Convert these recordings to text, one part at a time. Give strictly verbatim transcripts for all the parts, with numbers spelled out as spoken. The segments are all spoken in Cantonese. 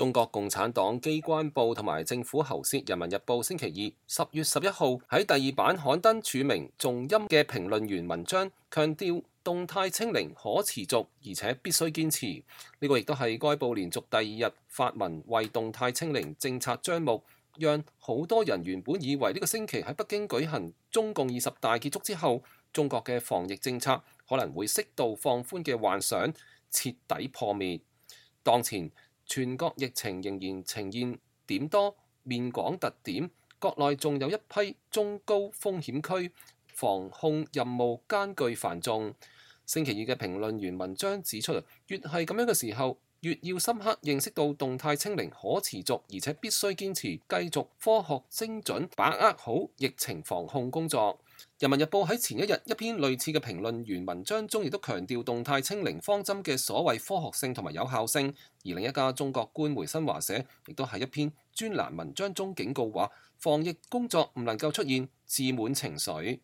中國共產黨機關報同埋政府喉舌《人民日報》星期二十月十一號喺第二版刊登署名重音嘅評論員文章，強調動態清零可持續，而且必須堅持。呢、這個亦都係該報連續第二日發文為動態清零政策張目，讓好多人原本以為呢個星期喺北京舉行中共二十大結束之後，中國嘅防疫政策可能會適度放寬嘅幻想徹底破滅。當前全國疫情仍然呈現點多面廣特點，國內仲有一批中高風險區，防控任務艱巨繁重。星期二嘅評論員文章指出，越係咁樣嘅時候，越要深刻認識到動態清零可持續，而且必須堅持繼續科學精準把握好疫情防控工作。人民日報喺前一日一篇類似嘅評論員文章中，亦都強調動態清零方針嘅所謂科學性同埋有效性。而另一家中國官媒新華社亦都喺一篇專欄文章中警告話，防疫工作唔能夠出現自滿情緒。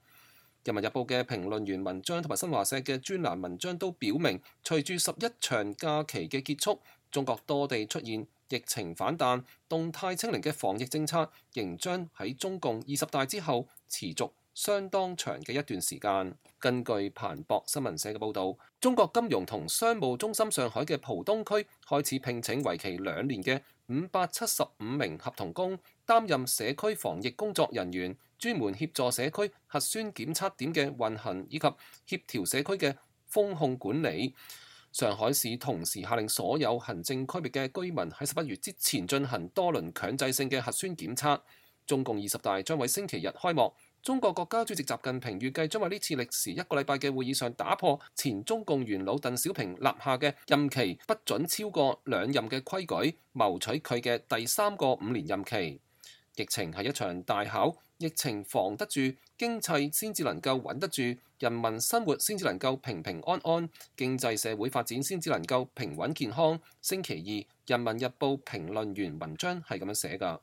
人民日報嘅評論員文章同埋新華社嘅專欄文章都表明，隨住十一長假期嘅結束，中國多地出現疫情反彈，動態清零嘅防疫政策仍將喺中共二十大之後持續相當長嘅一段時間。根據彭博新聞社嘅報導，中國金融同商務中心上海嘅浦東區開始聘請為期兩年嘅五百七十五名合同工，擔任社區防疫工作人員，專門協助社區核酸檢測點嘅運行以及協調社區嘅風控管理。上海市同時下令所有行政區域嘅居民喺十一月之前進行多輪強制性嘅核酸檢測。中共二十大將喺星期日開幕。中國國家主席習近平預計將喺呢次歷時一個禮拜嘅會議上打破前中共元老鄧小平立下嘅任期不准超過兩任嘅規矩，謀取佢嘅第三個五年任期。疫情係一場大考，疫情防得住，經濟先至能夠穩得住，人民生活先至能夠平平安安，經濟社會發展先至能夠平穩健康。星期二，《人民日報》評論員文章係咁樣寫㗎。